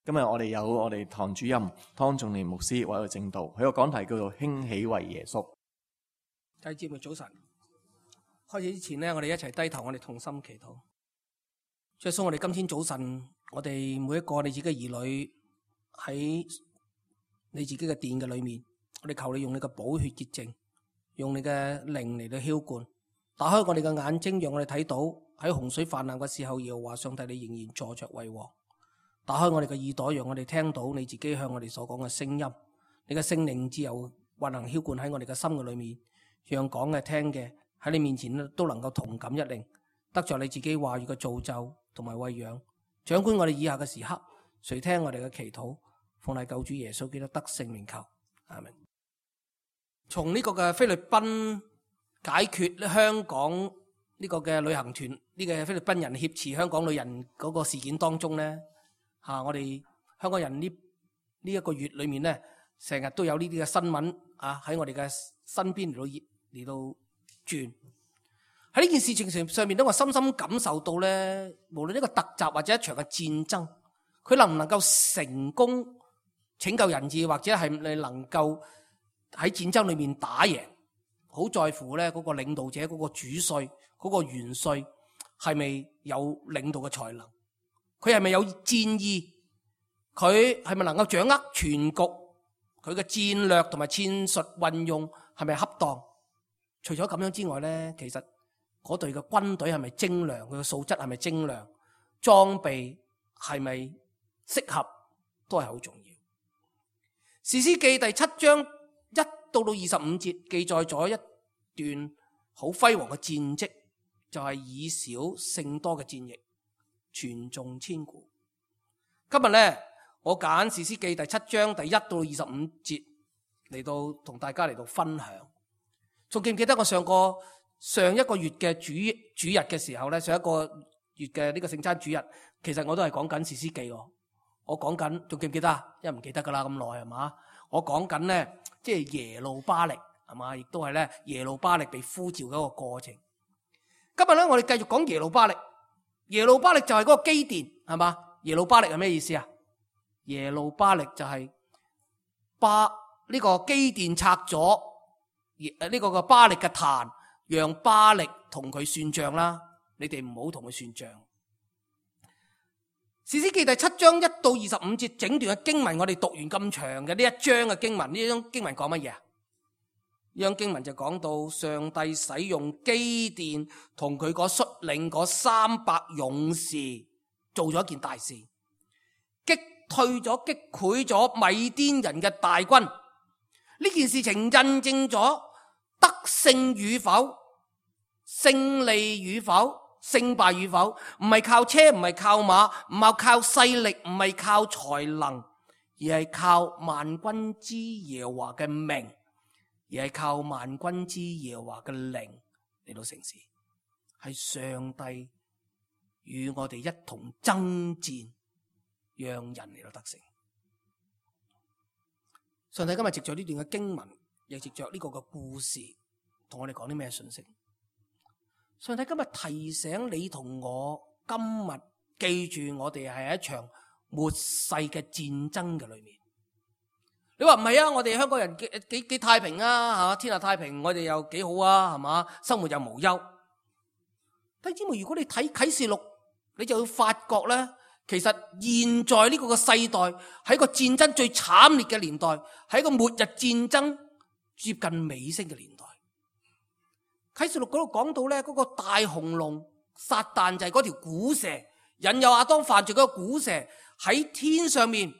今日我哋有我哋堂主任湯仲年牧師為我哋證道，佢個講題叫做興起為耶穌。弟兄姊妹早晨，開始之前呢，我哋一齊低頭，我哋同心祈禱。主耶穌，我哋今天早晨，我哋每一個你自己嘅兒女喺你自己嘅殿嘅裏面，我哋求你用你嘅寶血潔淨，用你嘅靈嚟到澆灌，打開我哋嘅眼睛，讓我哋睇到喺洪水泛濫嘅時候，耶和華上帝你仍然坐着為王。打開我哋嘅耳朵，讓我哋聽到你自己向我哋所講嘅聲音。你嘅聖靈自由運行澆灌喺我哋嘅心嘅裏面，讓講嘅聽嘅喺你面前都能夠同感一靈，得着你自己話語嘅造就同埋餵養。掌管我哋以下嘅時刻，垂聽我哋嘅祈禱，奉賴救主耶穌基督得聖靈求，阿們。從呢個嘅菲律賓解決香港呢個嘅旅行團呢個菲律賓人挾持香港女人嗰個事件當中呢，我哋香港人呢一個月裏面呢，成日都有呢啲嘅新聞喺我哋嘅身邊嚟到轉。喺呢件事情上面，我深深感受到呢，無論呢個突襲或者一場嘅戰爭，佢能唔能夠成功拯救人質，或者係你能夠喺戰爭裏面打贏，好在乎呢嗰個領導者、嗰個主帥、嗰個元帥係咪有領導嘅才能，佢係咪有戰意，佢係咪能夠掌握全局，佢嘅戰略同埋戰術運用係咪恰當？除咗咁樣之外呢，其實嗰隊嘅軍隊係咪精良，佢嘅素質係咪精良，裝備係咪適合，都係好重要。士師記第7章1到25節記載咗一段好輝煌嘅戰績，就係以少勝多嘅戰役，傳頌千古。今日呢，我揀士師記第7章第1到25節嚟到同大家嚟到分享。仲記唔記得我上一個月嘅主日嘅時候呢？上一個月嘅呢個聖餐主日，其實我都係講緊士師記喎。我講緊，仲記唔記得啊？因為唔記得噶啦，咁耐係嘛？我講緊呢，即係耶路巴力係嘛，亦都係呢耶路巴力被呼召嘅一個過程。今日呢，我哋繼續講耶路巴力。耶路巴力就係嗰個基甸係嘛？耶路巴力係咩意思啊？耶路巴力就係呢個基甸拆咗呢個巴力嘅壇，讓巴力同佢算賬啦。你哋唔好同佢算賬。士師記第7章1到25節整段嘅經文，我哋讀完咁長嘅呢一章嘅經文，呢張經文講乜嘢啊？呢張經文就講到上帝使用基甸同佢嗰率領嗰300勇士做咗一件大事，擊潰咗米甸人嘅大軍。呢件事情印證咗得勝與否、勝利與否、勝敗與否，唔係靠車，唔係靠馬，唔係靠勢力，唔係靠才能，而係靠萬軍之耶和華嘅名，而係靠萬軍之耶和華嘅靈嚟到成事。係上帝與我哋一同爭戰，讓人嚟到得勝。上帝今日藉着呢段嘅經文，亦藉着呢個嘅故事，同我哋講啲咩信息？上帝今日提醒你同我，今日記住我哋係一場末世嘅戰爭嘅裏面。你話唔係啊？我哋香港人幾太平啊？吓，天下太平，我哋又幾好啊？係嘛，生活又無憂。弟兄姊妹，如果你睇啟示錄，你就會發覺咧，其實現在呢個嘅世代喺個戰爭最慘烈嘅年代，喺個末日戰爭接近尾聲嘅年代。啟示錄嗰度講到咧，嗰個大紅龍撒旦就係嗰條古蛇，引誘亞當犯罪嗰個古蛇，喺天上面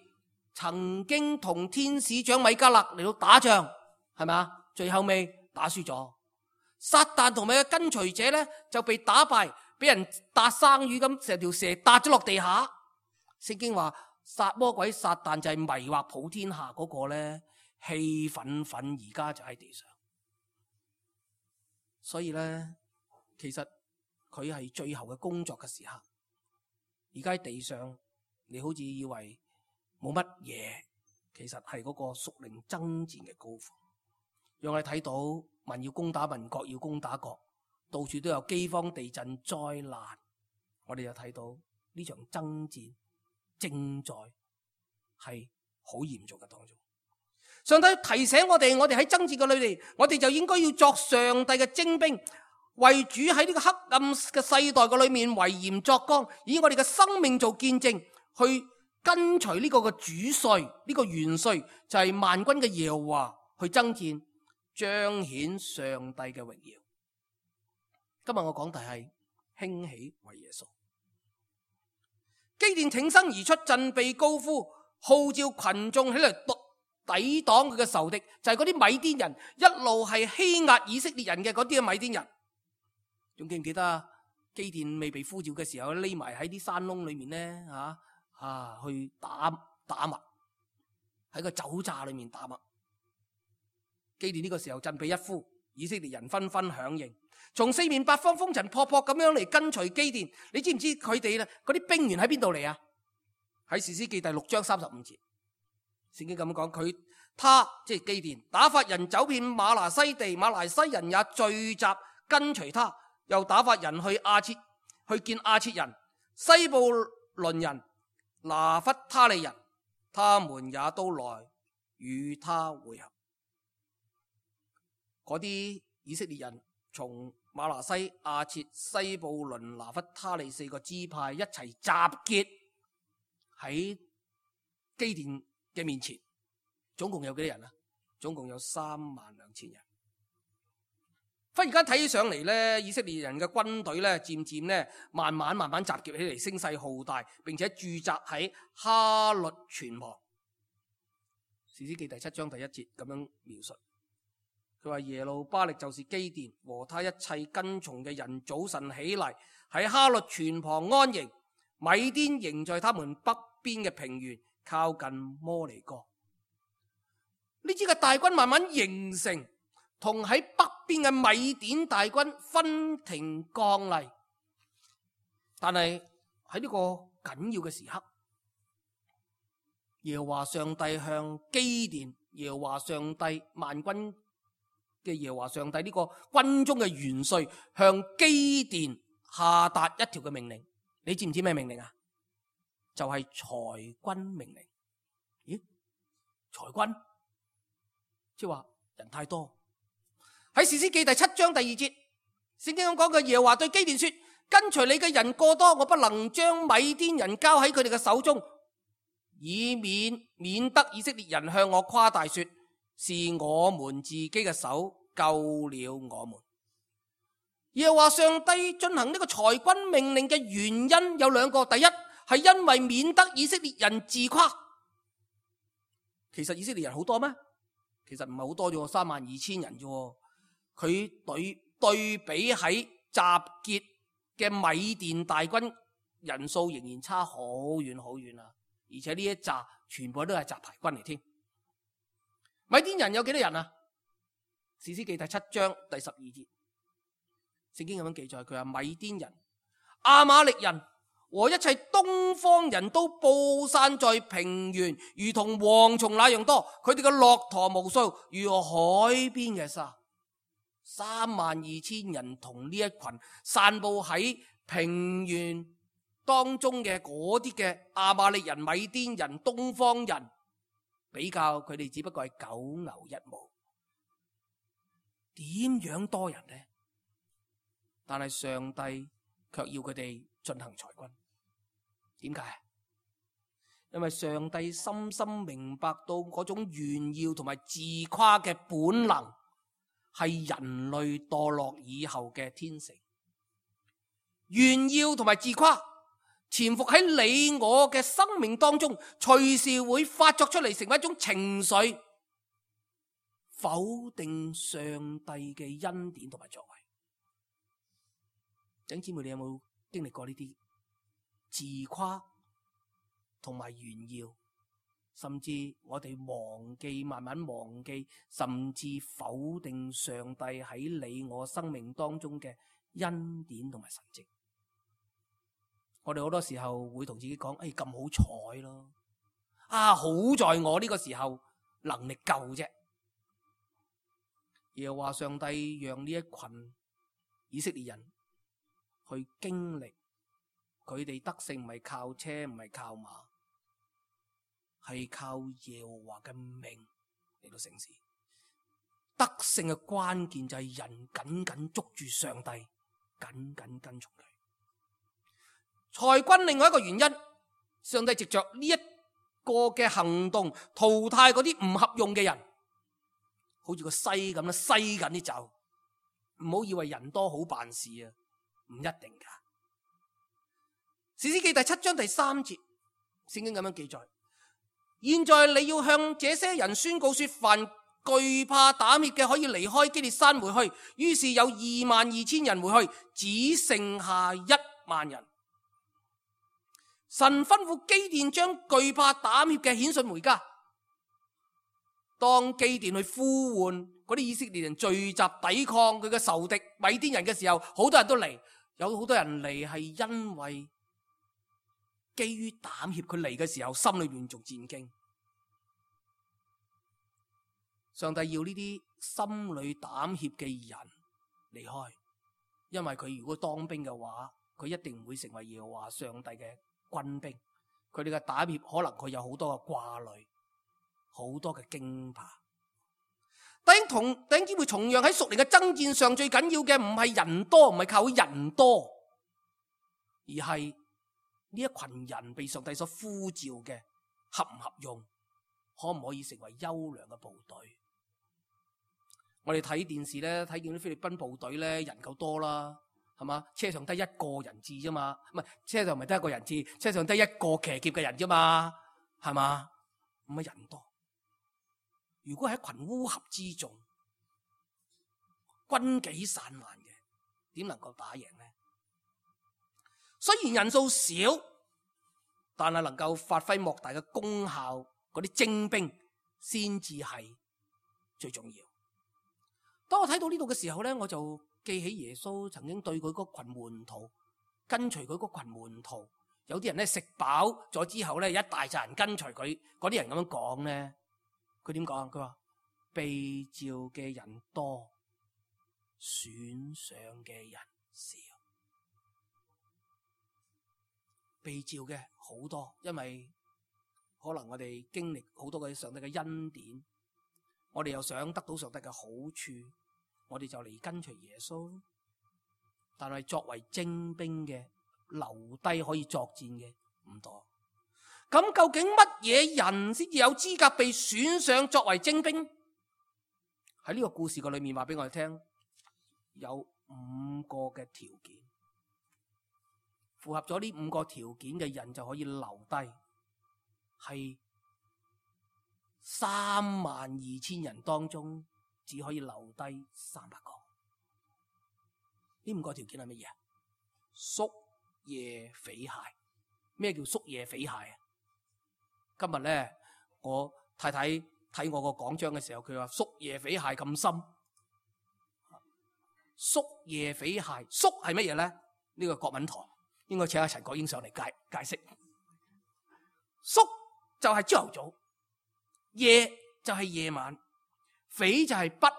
曾經同天使長米迦勒嚟到打仗，係咪？最後尾打輸咗，撒旦同埋嘅跟隨者咧就被打敗，俾人打生魚咁，成條蛇打咗落地下。聖經話魔鬼撒旦就係迷惑普天下嗰個咧，氣憤憤而家就喺地上。所以咧，其實佢係最後嘅工作嘅時刻。而家喺地上，你好似以為冇乜嘢，其實係嗰個屬靈爭戰嘅高峰。讓我哋睇到民要攻打民，國要攻打國，到處都有饑荒、地震、災難。我哋就睇到呢場爭戰正在係好嚴重嘅當中。上帝提醒我哋喺爭戰嘅裏邊，我哋就應該要作上帝嘅精兵，為主喺呢個黑暗嘅世代嘅裏面為鹽作光，以我哋嘅生命做見證，去跟隨呢個嘅主帥，呢個元帥就係萬軍嘅耶和華去爭戰，彰顯上帝嘅榮耀。今日我講題係興起為耶穌。基甸挺身而出，振臂高呼，號召群眾起嚟抵擋佢嘅仇敵，就係嗰啲米甸人，一路係欺壓以色列人嘅嗰啲嘅米甸人。仲記唔記得啊？基甸未被呼召嘅時候，匿埋喺啲山窿裏面咧，去打麥，喺個酒榨裏面打麥。基甸呢個時候振臂一呼，以色列人紛紛響應，從四面八方風塵僕僕咁樣嚟跟隨基甸。你知唔知佢哋咧嗰啲兵員喺邊度嚟啊？喺士師記第6章35節，聖經咁講，他即係基甸，打發人走遍馬拿西地，馬拿西人也聚集跟隨他，又打發人去見亞設人、西布倫人、拿弗他利人，他們也都來與他會合。嗰啲以色列人從馬拿西、亞設、西布倫、拿弗他利4個支派一齊集結喺基甸嘅面前，總共有幾多人啊？總共有32000人。忽然間睇起上嚟咧，以色列人嘅軍隊咧，漸漸咧，慢慢集結起嚟，聲勢浩大，並且駐紮喺哈律泉旁。士師記第7章第1節咁樣描述，佢話耶路巴力就是基甸和他一切跟從嘅人，早晨起嚟喺哈律泉旁安營，米甸營在他們北邊嘅平原，靠近摩利哥。呢支嘅大軍慢慢形成，同喺北邊嘅米甸大軍分庭抗禮。但係喺呢個緊要嘅時刻，耶和華上帝向基甸，耶和華上帝萬軍嘅耶和華上帝呢個軍中嘅元帥向基甸下達一條嘅命令。你知唔知咩命令啊？就係裁軍命令。咦？裁軍？即係話人太多。喺士師記第7章第2節，聖經咁講嘅，耶和華對基甸說：跟隨你嘅人過多，我不能將米甸人交喺佢哋嘅手中，以免得以色列人向我誇大說，是我們自己嘅手救了我們。耶和華上帝進行呢個裁軍命令嘅原因有兩個，第一係因為免得以色列人自誇。其實以色列人好多咩？其實唔係好多啫，32000人啫。佢對比喺集結嘅米甸大軍人數仍然差好遠好遠啊！而且呢一紮全部都係雜牌軍嚟添。米甸人有幾多人啊？士師記第7章第12節，聖經咁樣記載，佢話米甸人、亞瑪力人和一切東方人都布散在平原，如同蝗蟲那樣多。佢哋嘅駱駝無數，如海邊嘅沙。32000人同呢一群散布喺平原當中嘅嗰啲嘅亞瑪力人、米甸人、東方人比較，佢哋只不過係九牛一毛。點樣多人呢？但係上帝卻要佢哋進行裁軍。點解？因為上帝深深明白到嗰種炫耀同埋自誇嘅本能係人類墮落以後嘅天性。炫耀同埋自誇潛伏喺你我嘅生命當中，隨時會發作出嚟，成為一種情緒，否定上帝嘅恩典同埋作為。弟兄姊妹，你有冇經歷過呢啲自誇同埋炫耀，甚至我哋慢慢忘記，甚至否定上帝喺你我生命當中嘅恩典同埋神蹟？我哋好多時候會同自己講：咁好彩咯，好在我呢個時候能力夠啫。耶和華上帝讓呢一群以色列人去經歷佢哋得勝，唔係靠車，唔係靠馬，係係靠耶和華嘅命嚟到成事。得勝嘅關鍵就係人緊緊捉住上帝，緊緊跟從佢。裁軍另外一個原因，上帝藉着呢一個嘅行動淘汰嗰啲唔合用嘅人，好似個篩咁啦，篩緊啲走。唔好以為人多好辦事啊，唔一定噶。士師記第7章第3節，聖經咁樣記載：現在你要向這些人宣告說，凡懼怕膽怯嘅可以離開基列山回去。於是有22000人回去，只剩下1萬人。神吩咐基甸將懼怕膽怯嘅遣送回家。當基甸去呼喚嗰啲以色列人聚集抵抗佢嘅仇敵米甸人嘅時候，好多人都嚟，有好多人嚟係因為基於膽怯，佢嚟嘅時候心裏面仲戰驚。上帝要呢啲心裏膽怯嘅人離開，因為佢如果當兵嘅話，佢一定唔會成為耶和華上帝嘅軍兵。佢哋嘅膽怯可能佢有好多嘅掛慮，好多嘅驚怕。弟兄姊妹，同樣喺屬靈嘅爭戰上，最緊要嘅唔係人多，唔係靠人多，而係呢一群人被上帝所呼召嘅合唔合用，可唔可以成為優良嘅部隊？我哋睇電視咧，睇見啲菲律賓部隊咧，人夠多啦，係嘛？車上得一個人質啫嘛，唔係車上唔係得一個人質，車上得一個騎劫嘅人啫嘛，係嘛？唔係人多。如果係一群烏合之眾，軍紀散漫嘅，點能夠打贏呢？雖然人數少，但係能夠發揮莫大嘅功效，嗰啲精兵先至係最重要。當我睇到呢度嘅時候咧，我就記起耶穌曾經對佢嗰群門徒，跟隨佢嗰群門徒，有啲人咧食飽咗之後咧，一大扎人跟隨佢，嗰啲人咁樣講咧，佢點講？佢話被召嘅人多，選上嘅人少。被召嘅好多，因為可能我哋經歷好多嘅上帝嘅恩典，我哋又想得到上帝嘅好處，我哋就嚟跟隨耶穌。但係作為精兵嘅，留低可以作戰嘅唔多。咁究竟乜嘢人先至有資格被選上作為精兵？喺呢個故事嘅裏面話俾我哋聽，有5個嘅條件，符合咗呢5個條件嘅人就可以留低，係32000人當中只可以留低300個。呢5個條件係乜嘢？宿夜匪械。咩叫宿夜匪械啊？今日咧，我太太睇我個講章嘅時候，佢話宿夜匪械咁深。宿夜匪械，宿係乜嘢咧？呢個國文堂應該請阿陳國英上嚟解釋。宿就係朝頭早，夜就係夜晚，匪就係筆，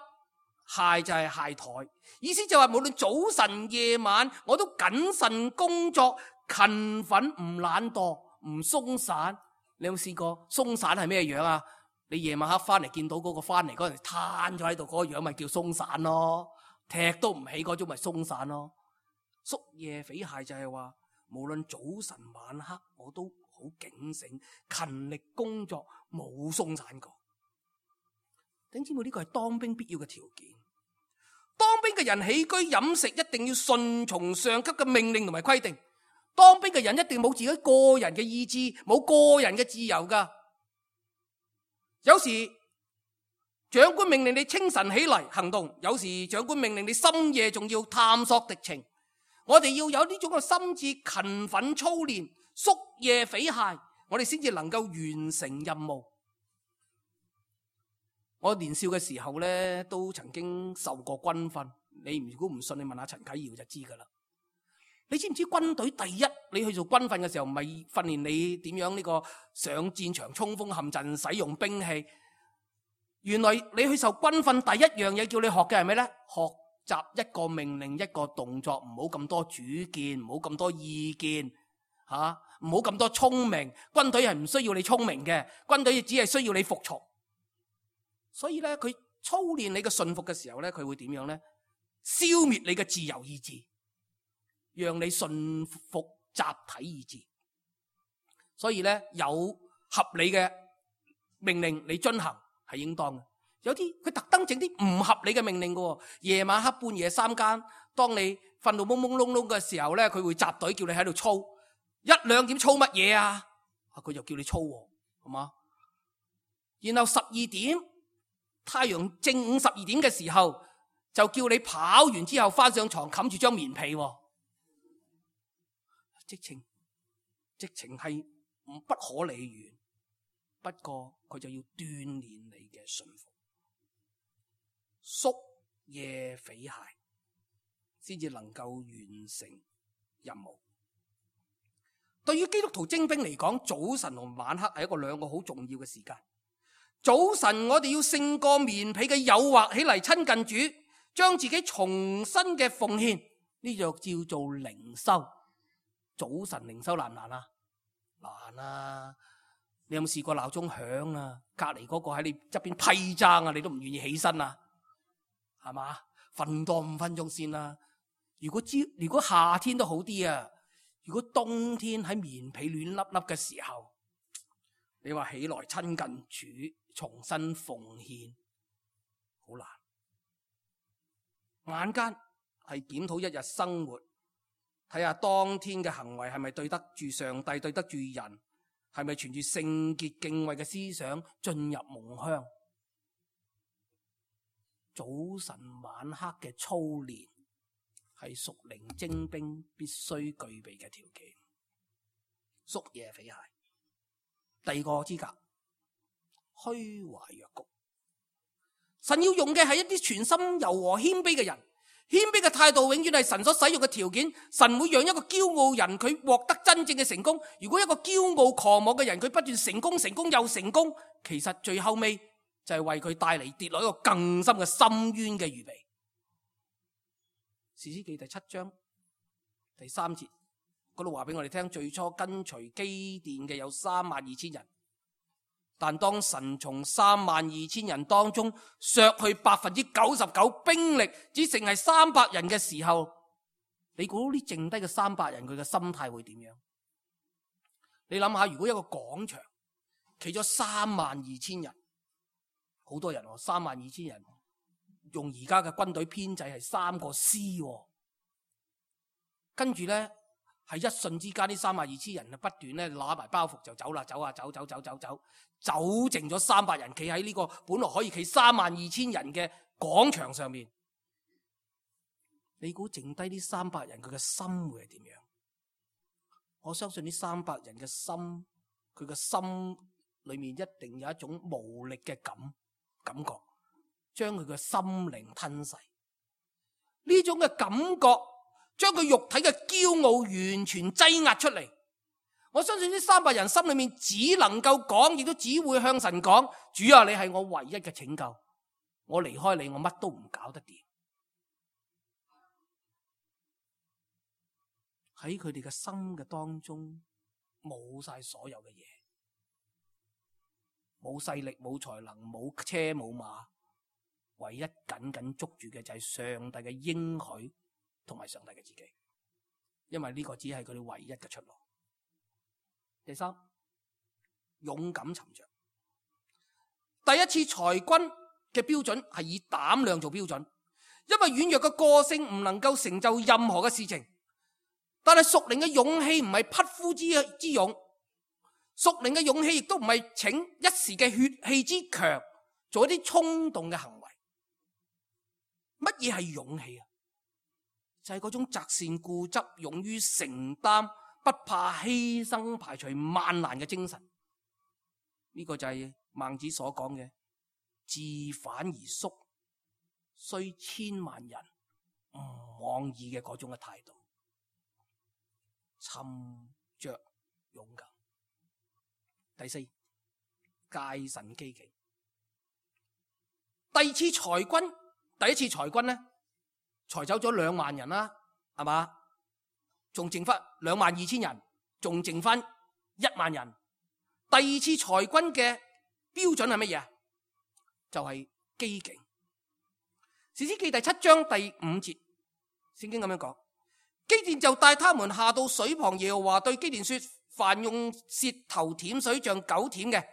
械就係械台。意思就係無論早晨夜晚，我都謹慎工作，勤奮，唔懶惰，唔鬆散。你有冇試過鬆散係咩樣啊？你夜晚黑翻嚟見到嗰個翻嚟嗰陣攤咗喺度嗰個樣，咪叫鬆散咯，踢都唔起嗰種咪鬆散咯。宿夜匪械就係話，無論早晨晚黑，我都好警醒，勤力工作，冇鬆散過。弟兄姊妹，呢個係當兵必要嘅條件。當兵嘅人起居飲食一定要順從上級嘅命令同埋規定。當兵嘅人一定冇自己個人嘅意志，冇個人嘅自由噶。有時長官命令你清晨起嚟行動，有時長官命令你深夜仲要探索敵情。我哋要有呢種嘅心志，勤奮操練，宿夜匪械，我哋先至能夠完成任務。我年少嘅時候咧，都曾經受過軍訓。你如果唔信，你問下陳啟堯就知噶啦。你知唔知軍隊第一，你去做軍訓嘅時候，唔係訓練你點樣呢個上戰場衝鋒陷陣使用兵器。原來你去受軍訓第一樣嘢叫你學嘅係咩咧？學習一個命令，一個動作，唔好咁多主見，唔好咁多意見唔好咁多聰明，軍隊係唔需要你聰明嘅，軍隊只係需要你服從。所以咧，佢操練你嘅順服嘅時候咧，佢會點樣咧？消滅你嘅自由意志，讓你順服集體意志。所以咧，有合理嘅命令你遵行係應當嘅。有啲佢特登整啲唔合理嘅命令嘅，夜晚黑半夜三更，當你瞓到懵懵窿窿嘅時候咧，佢會集隊叫你喺度操1、2點操乜嘢啊？佢就叫你操，係嘛？然後12點太陽正午12點嘅時候，就叫你跑完之後翻上床冚住張棉被，直情係不可理喻。不過佢就要鍛煉你嘅順服，宿夜匪懈，先至能夠完成任務。對於基督徒精兵嚟講，早晨同晚黑係兩個好重要嘅時間。早晨我哋要勝過棉被嘅誘惑，起嚟親近主，將自己重新嘅奉獻，呢就叫做靈修。早晨靈修難唔難啊？難啊！你有冇試過鬧鐘響啊？隔籬嗰個喺你側邊批爭啊，你都唔願意起身啊？係嘛？瞓多5分鐘先啦。如果夏天都好啲啊，如果冬天喺棉被暖粒粒嘅時候，你話起來親近主，重新奉獻，好難。晚間係檢討一日生活，睇下當天嘅行為係咪對得住上帝，對得住人，係咪存住聖潔敬畏嘅思想進入夢鄉。早晨晚黑嘅操練係屬靈精兵必須具備嘅條件。宿夜匪懈。第二個資格，虛懷若谷。神要用嘅係一啲全心柔和謙卑嘅人，謙卑嘅態度永遠係神所使用嘅條件。神會讓一個驕傲人佢獲得真正嘅成功。如果一個驕傲狂妄嘅人佢不斷成功又成功，其實最後尾就係為佢帶嚟跌落一個更深嘅深淵嘅預備。士師記第7章第3節嗰度話俾我哋聽，最初跟隨基甸嘅有32000人，但當神從32000人當中削去99%兵力，只剩係300人嘅時候，你估呢剩低嘅300人佢嘅心態會點樣？你諗下，如果一個廣場企咗32000人，好多人喎，32000人，用而家嘅軍隊編制係3個師喎，跟住咧係一瞬之間，呢32000人不斷咧攞埋包袱就走啦，走剩咗300人企喺呢個本來可以企32000人嘅廣場上面。你估剩低呢300人佢嘅心會係點樣？我相信呢300人嘅心，佢嘅心裏面一定有一種無力嘅感覺，將佢嘅心靈吞噬。呢種嘅感覺將佢肉體嘅驕傲完全擠壓出嚟。我相信呢300人心裏面只能夠講，亦都只會向神講：主啊，你係我唯一嘅拯救，我離開你，我乜都唔搞得掂。喺佢哋嘅心嘅當中，冇晒所有嘅嘢，冇勢力，冇才能，冇車冇馬，唯一緊緊捉住嘅就係上帝嘅應許同埋上帝嘅自己，因為呢個只係佢哋唯一嘅出路。第三，勇敢沉着。第一次裁軍嘅標準係以膽量做標準，因為軟弱嘅個性唔能夠成就任何嘅事情。但係屬靈嘅勇氣唔係匹夫之勇，屬靈嘅勇氣亦都唔係逞一時嘅血氣之強，做一啲衝動嘅行為。乜嘢係勇氣啊？就係嗰種擇善固執、勇於承擔、不怕犧牲、排除萬難嘅精神。呢個就係孟子所講嘅自反而縮，雖千萬人唔往矣嘅嗰種嘅態度。沉着勇敢。第四，戒慎機警。第一次裁軍咧，裁走咗2萬人啦，係嘛？仲剩翻22000人，仲剩翻1萬人。第二次裁軍嘅標準係乜嘢？就係機警。士師記第7章第5節，聖經咁樣講：基甸就帶他們下到水旁，耶和華對基甸說：凡用舌頭舔水像狗舔嘅，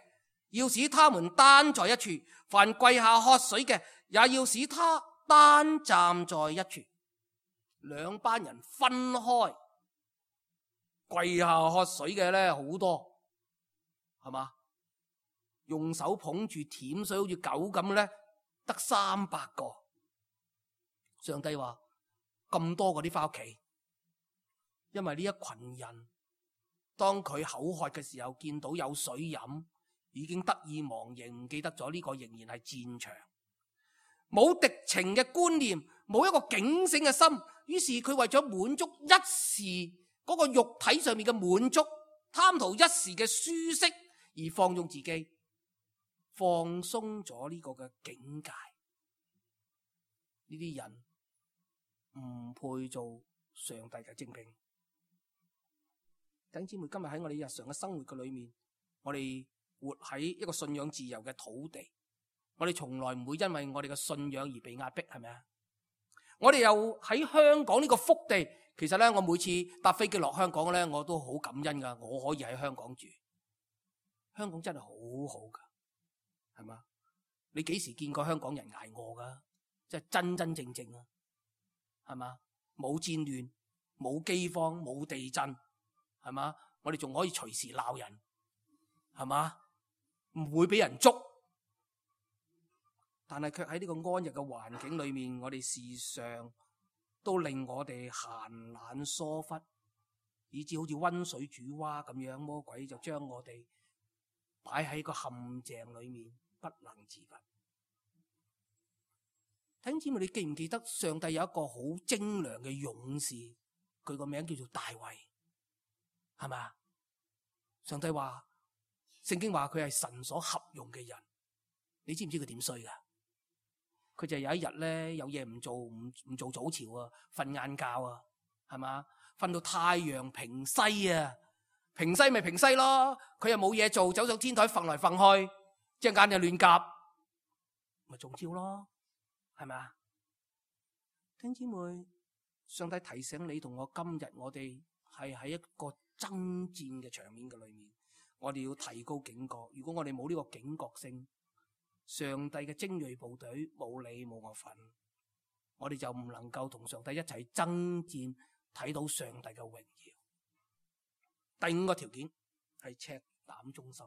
要使他們單在一處；凡跪下喝水嘅，也要使他單站在一處。兩班人分開，跪下喝水嘅咧好多，係嘛？用手捧住舔水好似狗咁咧，得300個。上帝話咁多嗰啲翻屋企，因為呢一群人當佢口渴嘅時候，見到有水飲，已經得意忘形，唔記得咗呢個仍然係戰場，冇敵情嘅觀念，冇一個警醒嘅心，於是佢為咗滿足一時嗰個肉體上面嘅滿足，貪圖一時嘅舒適而放縱自己，放鬆咗呢個嘅境界。呢啲人唔配做上帝嘅精兵。弟兄姊妹，今日喺我哋日常嘅生活嘅裏面，我哋活喺一個信仰自由嘅土地，我哋從來唔會因為我哋嘅信仰而被壓迫，係咪啊？我哋又喺香港呢個福地，其實咧，我每次搭飛機落香港咧，我都好感恩噶，我可以喺香港住。香港真係好好噶，係嘛？你幾時見過香港人挨餓噶？即係真真正正啊，係嘛？冇戰亂，冇饑荒，冇地震。係嘛？我哋仲可以隨時鬧人，係嘛？唔會俾人捉，但係卻喺呢個安逸嘅環境裏面，我哋事上都令我哋閒懶疏忽，以致好似溫水煮蛙咁樣，魔鬼就將我哋擺喺個陷阱裏面，不能自拔。弟兄姊妹，你記唔記得上帝有一個好精良嘅勇士，佢個名叫做大衛？係嘛？上帝話，聖經話佢係神所合用嘅人。你知唔知佢點衰噶？佢就有一日咧，有嘢唔做，唔做早朝啊，瞓晏覺啊，係嘛？瞓到太陽平西啊，平西咪平西咯。佢又冇嘢做，走上天台瞓來瞓去，隻眼就亂夾，咪中招咯，係咪啊？弟兄姊妹，上帝提醒你同我，今日我哋係喺一個爭戰嘅場面嘅裏面，我哋要提高警覺。如果我哋冇呢個警覺性，上帝嘅精銳部隊冇你冇我份，我哋就唔能夠同上帝一齊爭戰，睇到上帝嘅榮耀。第5個條件係赤膽忠心。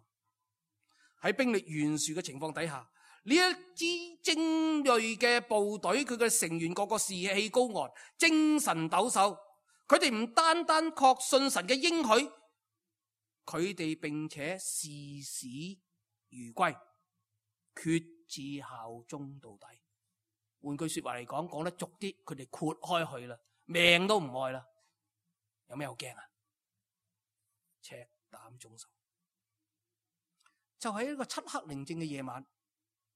喺兵力懸殊嘅情況底下，呢一支精銳嘅部隊，佢嘅成員個個士氣高昂，精神抖擻。佢哋唔單單確信神嘅應許，佢哋並且視死如歸，決志效忠到底。換句說話嚟講，講得俗啲，佢哋豁開去啦，命都唔愛啦。有咩好驚啊？赤膽忠心。就喺一個漆黑寧靜嘅夜晚，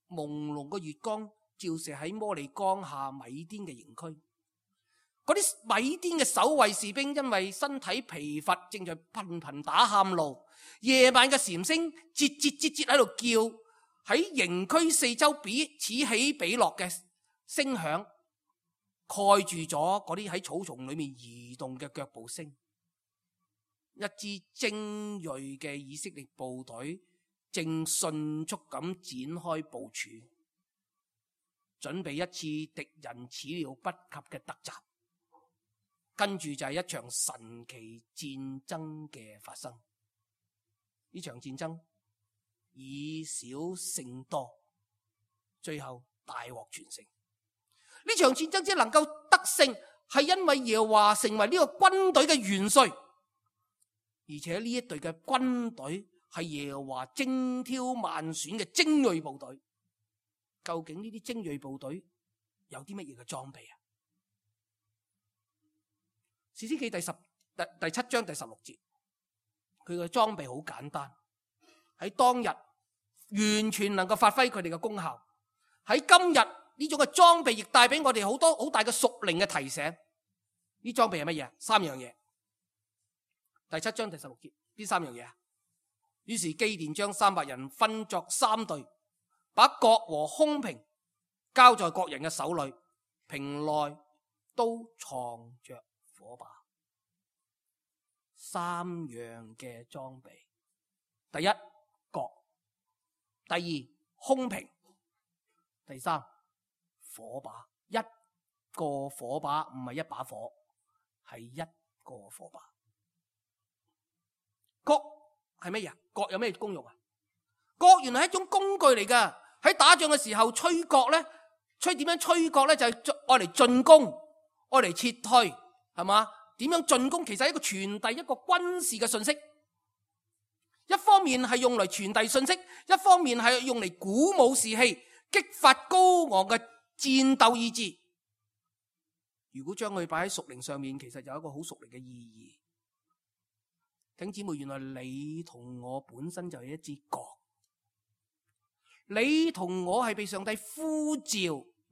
朦朧嘅月光照射喺摩利江下米甸嘅營區。嗰啲米甸嘅守衛士兵因為身體疲乏，正在頻頻打喊路。夜晚嘅禪聲節節喺度叫，喺營區四周彼此起彼落嘅聲響，蓋住咗嗰啲喺草叢裏面移動嘅腳步聲。一支精銳嘅以色列部隊正迅速咁展開部署，準備一次敵人始料不及嘅突襲。跟住就係一場神奇戰爭嘅發生。呢場戰爭以少勝多，最後大獲全勝。呢場戰爭只能夠得勝，係因為耶和華成為呢個軍隊嘅元帥，而且呢一隊嘅軍隊係耶和華精挑萬選嘅精銳部隊。究竟呢啲精銳部隊有啲乜嘢嘅裝備啊？士師記第7章第16節，佢嘅裝備好簡單，喺當日完全能夠發揮佢哋嘅功效。喺今日呢種嘅裝備亦帶俾我哋好多好大嘅屬靈嘅提醒。呢裝備係乜嘢？3樣嘢。第7章第16節，邊3樣嘢啊？於是基甸將300人分作3隊，把角和空瓶交在各人嘅手裏，瓶內都藏着火把。3樣嘅裝備：第一，角；第二，空瓶；第三，火把。一個火把唔係一把火，係一個火把。角係乜嘢？角有咩功用啊？角原來係一種工具嚟噶。喺打仗嘅時候吹角咧，點樣吹角咧？就係愛嚟進攻，愛嚟撤退，係嘛？點樣進攻？其實係一個傳遞一個軍事嘅信息。一方面係用嚟傳遞信息，一方面係用嚟鼓舞士氣，激發高昂嘅戰鬥意志。如果將佢擺喺屬靈上面，其實有一個好屬靈嘅意義。弟兄姊妹，原來你同我本身就係一支角，你同我係被上帝呼召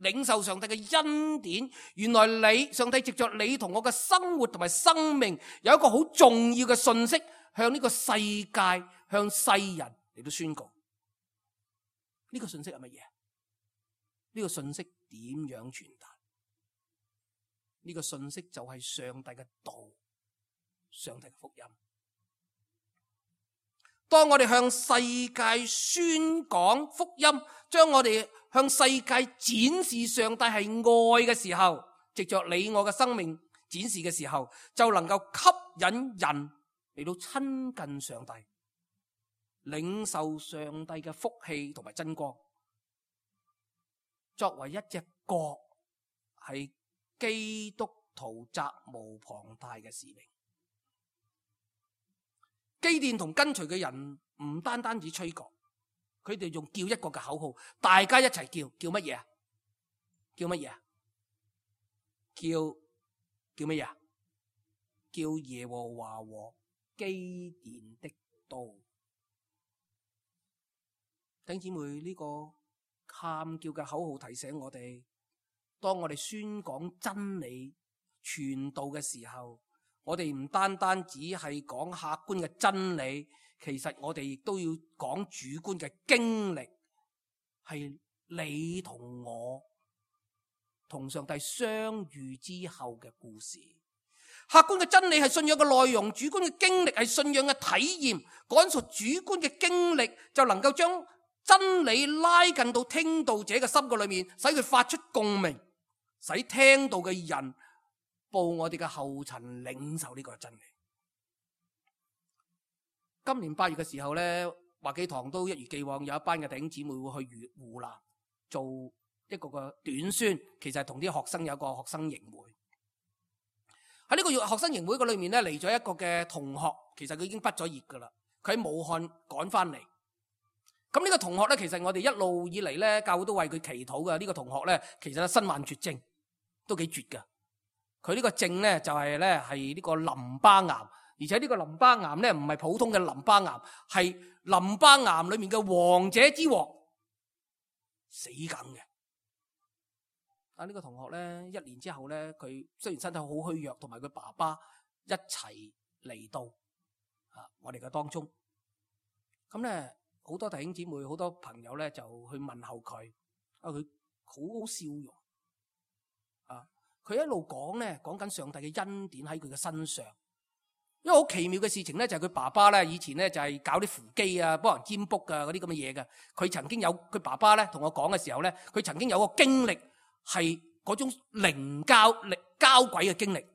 領受上帝嘅恩典。原來上帝藉着你同我嘅生活同埋生命，有一個好重要嘅信息向呢個世界、向世人嚟到宣告。呢個信息係乜嘢？呢個信息點樣傳達？呢個信息就係上帝嘅道，上帝嘅福音。當我哋向世界宣講福音，將我哋向世界展示上帝係愛嘅時候，藉着你我嘅生命展示嘅時候，就能夠吸引人嚟到親近上帝，領受上帝嘅福氣同埋真光。作為一隻角，係基督徒責無旁貸嘅使命。基甸同跟隨嘅人唔單單止吹角，佢哋仲叫一個嘅口號，大家一齊叫乜嘢啊？叫乜嘢啊？叫乜嘢啊？叫耶和華和基甸的刀。弟兄姊妹，呢個喊叫嘅口號提醒我哋，當我哋宣講真理、傳道嘅時候，我哋唔單單只係講客觀嘅真理，其實我哋亦都要講主觀嘅經歷，係你同我同上帝相遇之後嘅故事。客觀嘅真理係信仰嘅內容，主觀嘅經歷係信仰嘅體驗。講述主觀嘅經歷，就能夠將真理拉近到聽道者嘅心嘅裏面，使佢發出共鳴，使聽到嘅人步我哋嘅後塵，領受呢個真理。今年8月嘅時候咧，華記堂都一如既往有一班嘅弟兄姊妹會去湖南做一個嘅短宣，其實係同啲學生有一個學生營會。喺呢個學生營會嘅裏面咧，嚟咗一個嘅同學，其實佢已經畢咗業噶啦，佢喺武漢趕翻嚟。咁呢個同學咧，其實我哋一路以嚟咧，教會都為佢祈禱嘅。呢個同學咧，其實身患絕症，都幾絕噶。佢呢個症咧就係咧係呢個淋巴癌，而且呢個淋巴癌咧唔係普通嘅淋巴癌，係淋巴癌裏面嘅王者之王，死梗嘅。啊，呢個同學咧1年之後咧，佢雖然身體好虛弱，同埋佢爸爸一齊嚟到我哋嘅當中。咁咧好多弟兄姊妹、好多朋友咧就去問候佢，佢好好笑容佢一路講咧，講緊上帝嘅恩典喺佢嘅身上。因為好奇妙嘅事情咧，就係佢爸爸咧以前咧就係搞啲扶乩啊，幫人占卜啊嗰啲咁嘅嘢嘅。佢曾經有佢爸爸咧同我講嘅時候咧，佢曾經有個經歷係嗰種靈交鬼嘅經歷。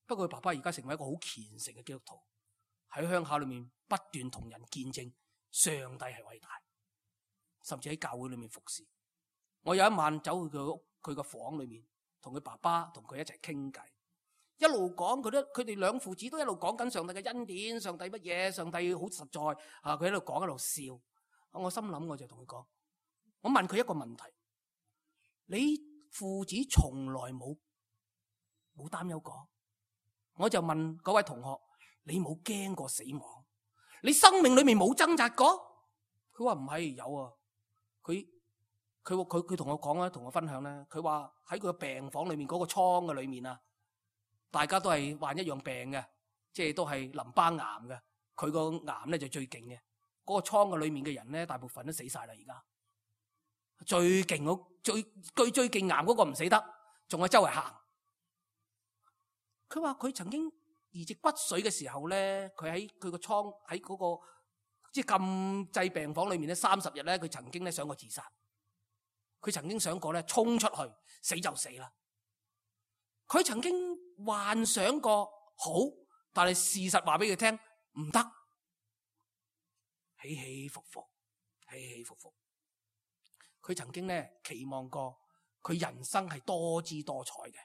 不過佢爸爸而家成為一個好虔誠嘅基督徒，喺鄉下裏面不斷同人見證上帝係偉大，甚至喺教會裏面服侍。我有一晚走去佢個房裏面，同佢爸爸同佢一齊傾偈，一路講佢哋兩父子都一路講緊上帝嘅恩典，上帝乜嘢，上帝好實在佢喺度講，喺度笑。我心諗，我就同佢講，我問佢一個問題：你父子從來冇擔憂過？我就問嗰位同學：你冇驚過死亡？你生命裏面冇掙扎過？佢話唔係，有啊。佢同我講啦，同我分享咧，佢話喺佢個病房裏面嗰個倉嘅裏面啊，大家都係患一樣病嘅，即係都係淋巴癌嘅，佢個癌咧就最勁嘅。嗰個倉嘅裏面嘅人咧，大部分都死晒啦。而家最勁最勁癌嗰個唔死得，仲係周圍行。佢話佢曾經移植骨髓嘅時候咧，佢喺佢個倉喺嗰個即係禁制病房裏面咧30日咧，佢曾經咧想過自殺。佢曾經想過咧衝出去死就死啦。佢曾經幻想過好，但係事實話俾佢聽唔得，起起伏伏，起起伏伏。佢曾經咧期望過佢人生係多姿多彩嘅，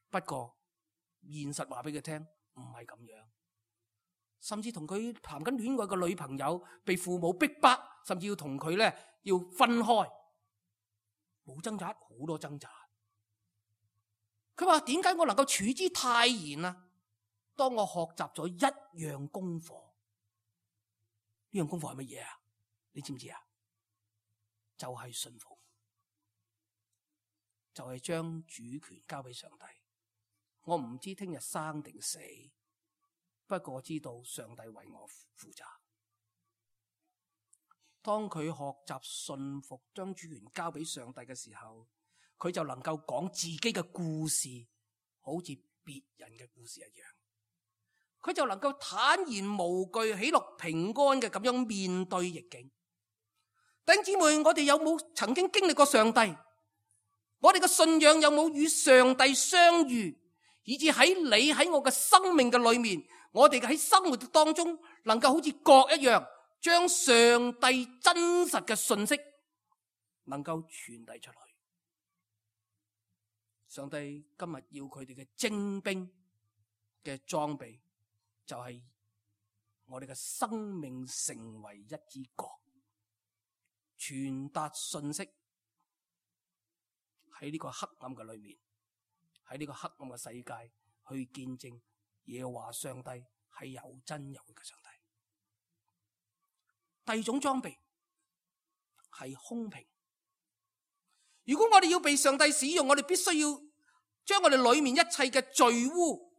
不過現實話俾佢聽唔係咁樣，甚至同佢談緊戀愛嘅女朋友被父母逼迫，甚至要同佢咧要分開，冇掙扎，好多掙扎。佢話點解我能夠處之泰然啊？當我學習咗一樣功課，呢樣功課係乜嘢啊？你知唔知啊？就係信服，就係將主權交俾上帝。我唔知聽日生定死，不過我知道上帝為我負責。當佢學習信服，將主權交俾上帝嘅時候，佢就能夠講自己嘅故事，好似別人嘅故事一樣。佢就能夠坦然無懼、喜樂平安嘅咁樣面對逆境。弟兄姊妹，我哋有冇曾經經歷過上帝？我哋嘅信仰有冇與上帝相遇？以至喺你喺我嘅生命嘅裏面，我哋喺生活當中能夠好似角一樣，將上帝真實嘅信息能夠傳遞出去。上帝今日要佢哋嘅精兵嘅裝備，就係我哋嘅生命成為一支角，傳達信息喺呢個黑暗嘅裏面，喺呢個黑暗嘅世界去見證耶和華上帝係有真有嘅上帝。第二種裝備係空瓶。如果我哋要被上帝使用，我哋必須要將我哋裏面一切嘅罪污、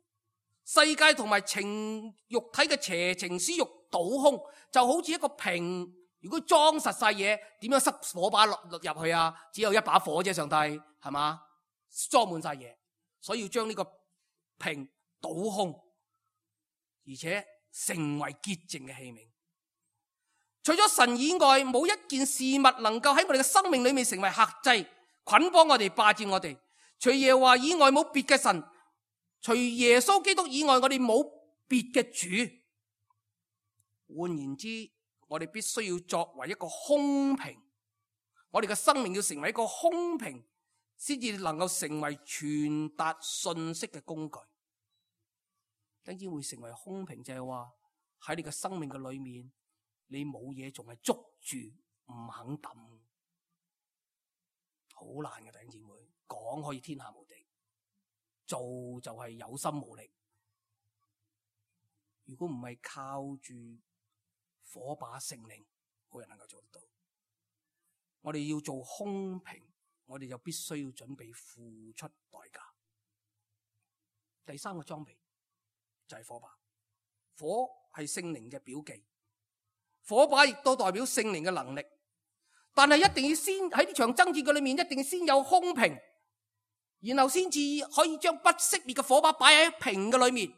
世界同埋肉體嘅邪情私欲倒空，就好似一個瓶，如果裝實晒嘢，點樣塞火把落入去啊？只有一把火啫，上帝係嘛？裝滿晒嘢，所以要將呢個瓶倒空，而且成為潔淨嘅器皿。除咗神以外，冇一件事物能夠喺我哋嘅生命裏面成為轄制、捆綁我哋、霸佔我哋。除耶和華以外冇別嘅神，除耶穌基督以外，我哋冇別嘅主。換言之，我哋必須要作為一個空瓶，我哋嘅生命要成為一個空瓶，先至能夠成為傳達信息嘅工具。等於會成為空瓶，就係話喺你嘅生命嘅裏面，你冇嘢仲係捉住唔肯抌，好難嘅。弟兄姊妹，講可以天下無敵，做就係有心無力。如果唔係靠住火把聖靈，冇人能夠做得到。我哋要做空瓶，我哋就必須要準備付出代價。第三個裝備就係火把。火係聖靈嘅表記，火把亦都代表聖靈嘅能力。但係一定要先喺呢場爭戰嘅裏面，一定要先有空瓶，然後先至可以將不熄滅嘅火把擺喺瓶嘅裏面。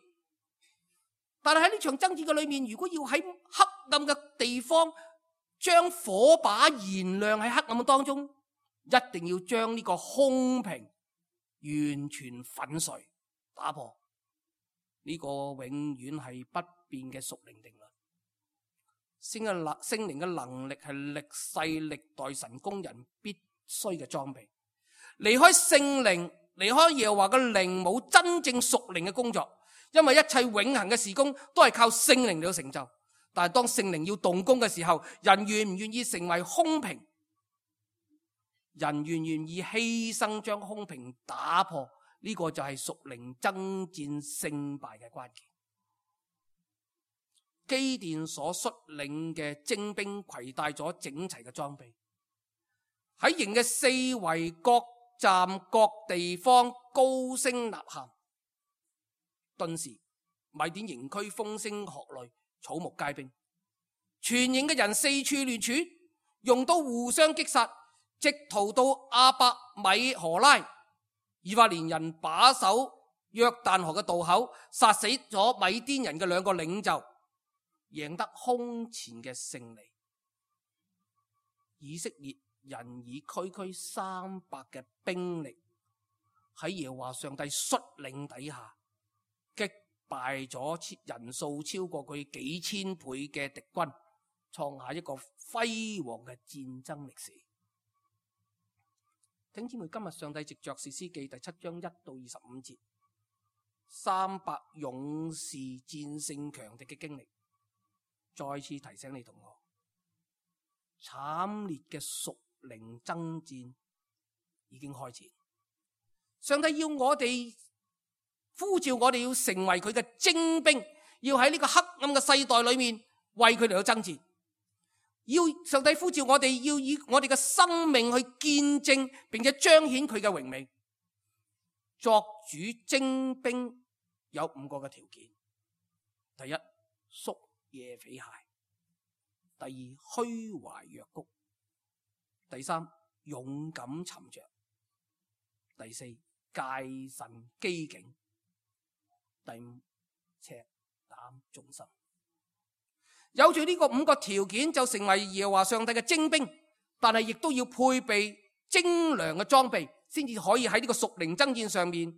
但係喺呢場爭戰嘅裏面，如果要喺黑暗嘅地方將火把燃亮喺黑暗當中，一定要將呢個空瓶完全粉碎打破。呢個永遠係不變嘅屬靈定律。聖靈嘅能力係歷世歷代神工人必須嘅裝備。離開聖靈，離開耶和華嘅靈，冇真正屬靈嘅工作。因為一切永恆嘅事工都係靠聖靈嚟到成就。但係當聖靈要動工嘅時候，人願唔願意成為空瓶？人願唔願意犧牲將空瓶打破？呢個就係屬靈爭戰勝敗嘅關鍵。基甸所率領嘅精兵攜帶咗整齊嘅裝備，喺營嘅四圍各站各地方高聲吶喊。頓時米甸營區風聲鶴唳，草木皆兵，全營嘅人四處亂竄，用刀互相擊殺，直逃到亞伯米荷拉。以法蓮人把守約旦河嘅渡口，殺死咗米甸人嘅2個領袖，贏得空前嘅勝利。以色列人以區300嘅兵力喺耶和華上帝率領底下擊敗咗人數超過佢幾千倍嘅敵軍，創下一個輝煌嘅戰爭歷史。弟兄姊妹，今日上帝藉着士師記第7章1到25節，300勇士戰勝強敵嘅經歷，再次提醒你同我，慘烈嘅屬靈爭戰已經開始。上帝要我哋呼召我哋要成為佢嘅精兵，要喺呢個黑暗嘅世代裏面為佢哋去爭戰。要上帝呼召我哋，要以我哋嘅生命去見證，並且彰顯佢嘅榮美。作主精兵有5個嘅條件：第一，宿夜匪懈；第二，虛懷若谷；第三，勇敢沉着；第四，戒慎機警；第5，赤膽忠心。有住呢個5個條件，就成為耶和華上帝嘅精兵，但係亦都要配備精良嘅裝備，先至可以喺呢個屬靈爭戰上面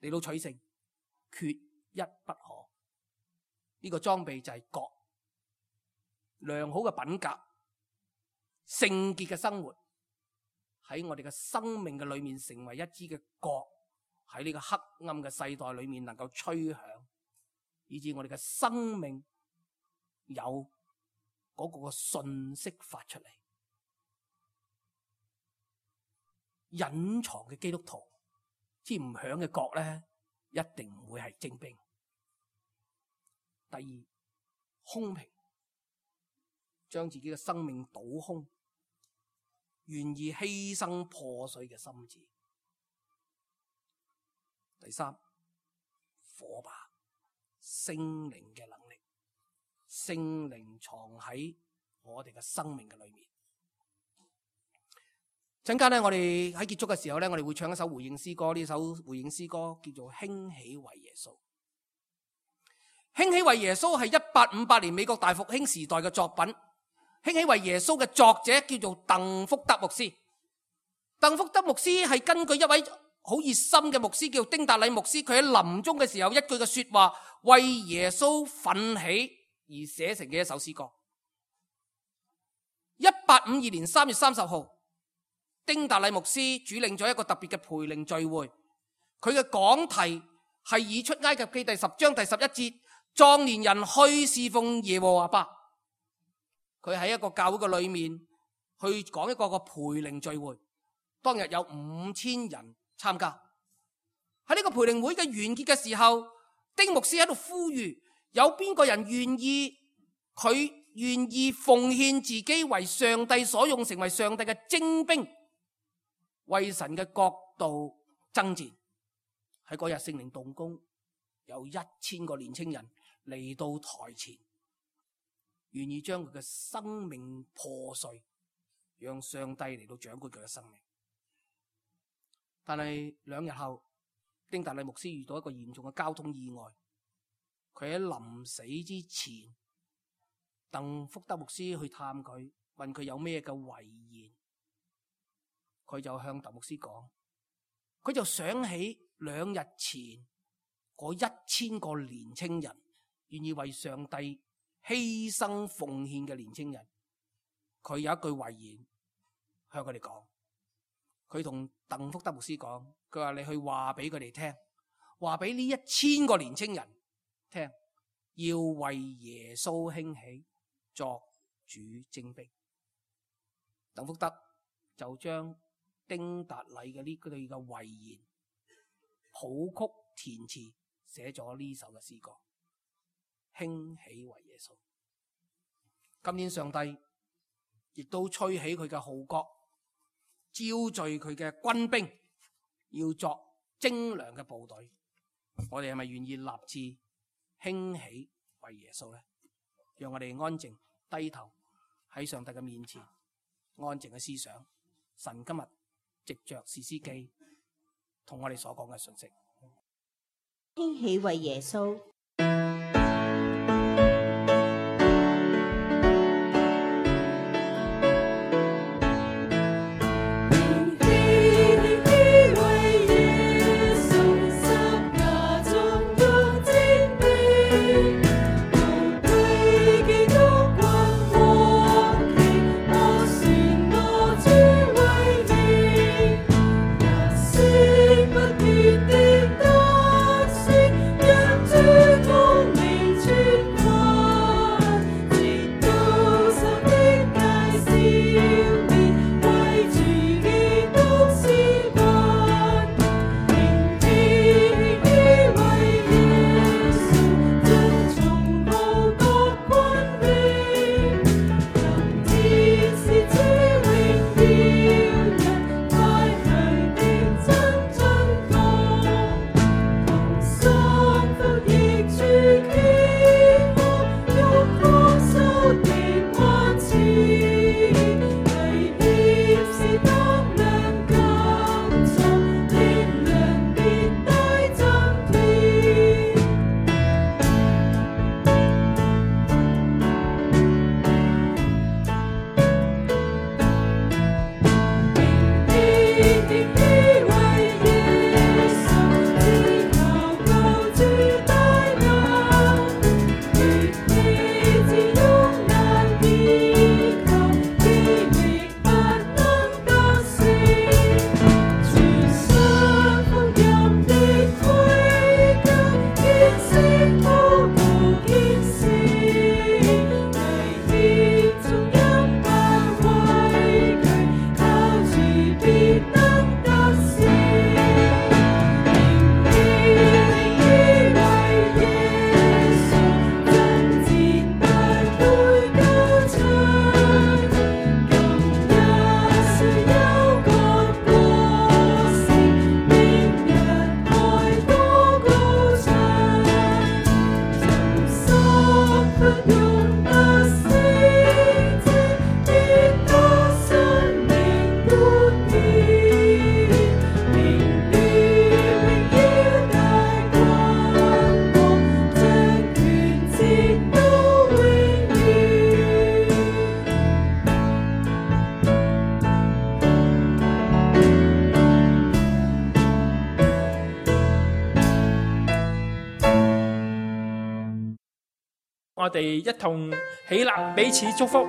嚟到取勝，缺一不可。呢個裝備就係角，良好嘅品格、聖潔嘅生活，喺我哋嘅生命嘅裏面成為一支嘅角，喺呢個黑暗嘅世代裏面能夠吹響，以致我哋嘅生命有嗰個信息發出嚟。隱藏嘅基督徒，支唔響嘅角咧，一定唔會係精兵。第二，空平，將自己嘅生命倒空，願意犧牲破碎嘅心志。第三，火把，聖靈嘅能力。聖靈藏喺我哋嘅生命嘅裏面。陣間咧，我哋喺結束嘅時候咧，我哋會唱一首回應詩歌。呢首回應詩歌叫做《興起為耶穌》。興起為耶穌係1858年美國大復興時代嘅作品。興起為耶穌嘅作者叫做鄧福德牧師。鄧福德牧師係根據一位好熱心嘅牧師叫丁達禮牧師，佢喺臨終嘅時候一句嘅說話，為耶穌奮起而寫成嘅一首詩歌。1852年3月30號，丁達禮牧師主領咗一個特別嘅培靈聚會，佢嘅講題係以出埃及記第10章第11節，壯年人去侍奉耶和華吧。佢喺一個教會嘅裏面去講一個培靈聚會，當日有5000人參加。喺呢個培靈會嘅完結嘅時候，丁牧師喺度呼籲，有邊個人願意奉獻自己為上帝所用，成為上帝嘅精兵，為神嘅國度爭戰。喺嗰日聖靈動工，有1000個年青人嚟到台前，願意將佢嘅生命破碎，讓上帝嚟到掌管佢嘅生命。但係2日後，丁達禮牧師遇到一個嚴重嘅交通意外，佢喺臨死之前，鄧福德牧師去探佢，問佢有咩嘅遺言，佢就向鄧牧師講，佢就想起2日前嗰1000個年青人，願意為上帝犧牲奉獻嘅年青人，佢有一句遺言向佢哋講，佢同鄧福德牧師講，佢話你去話俾佢哋聽，話俾呢1000個年青人聽，要為耶穌興起，作主精兵。鄧福德就將丁達禮嘅呢句嘅遺言譜曲填詞，寫咗呢首嘅詩歌，興起為耶穌。今年上帝亦都吹起佢嘅號角，召聚佢嘅軍兵，要作精良嘅部隊，我哋係咪願意立志興起為耶穌呢？讓我哋安靜低頭喺上帝嘅面前，安靜嘅思想神今日藉着士師記同我哋所講嘅信息。興起為耶穌。我哋一同起立，彼此祝福。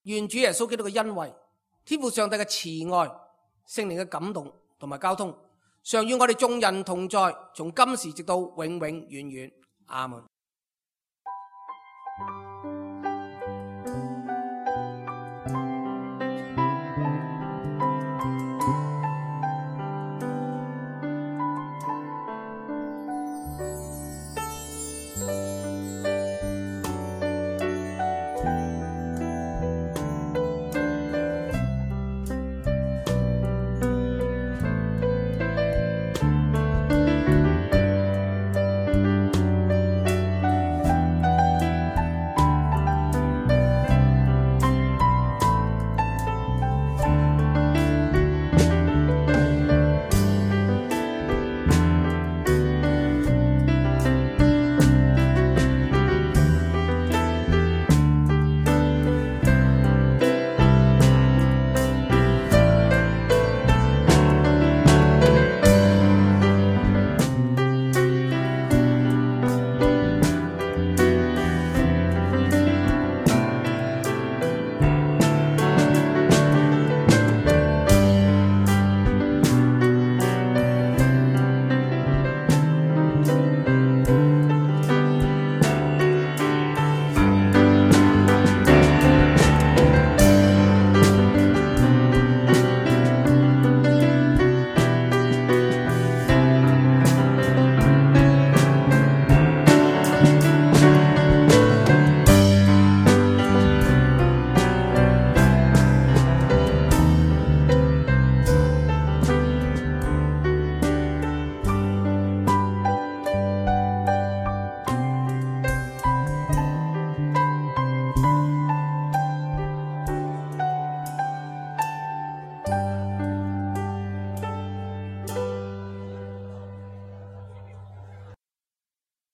願主耶穌基督嘅恩惠、天父上帝嘅慈愛、聖靈嘅感動同埋交通，常與我哋眾人同在，從今時直到永永遠遠。阿門。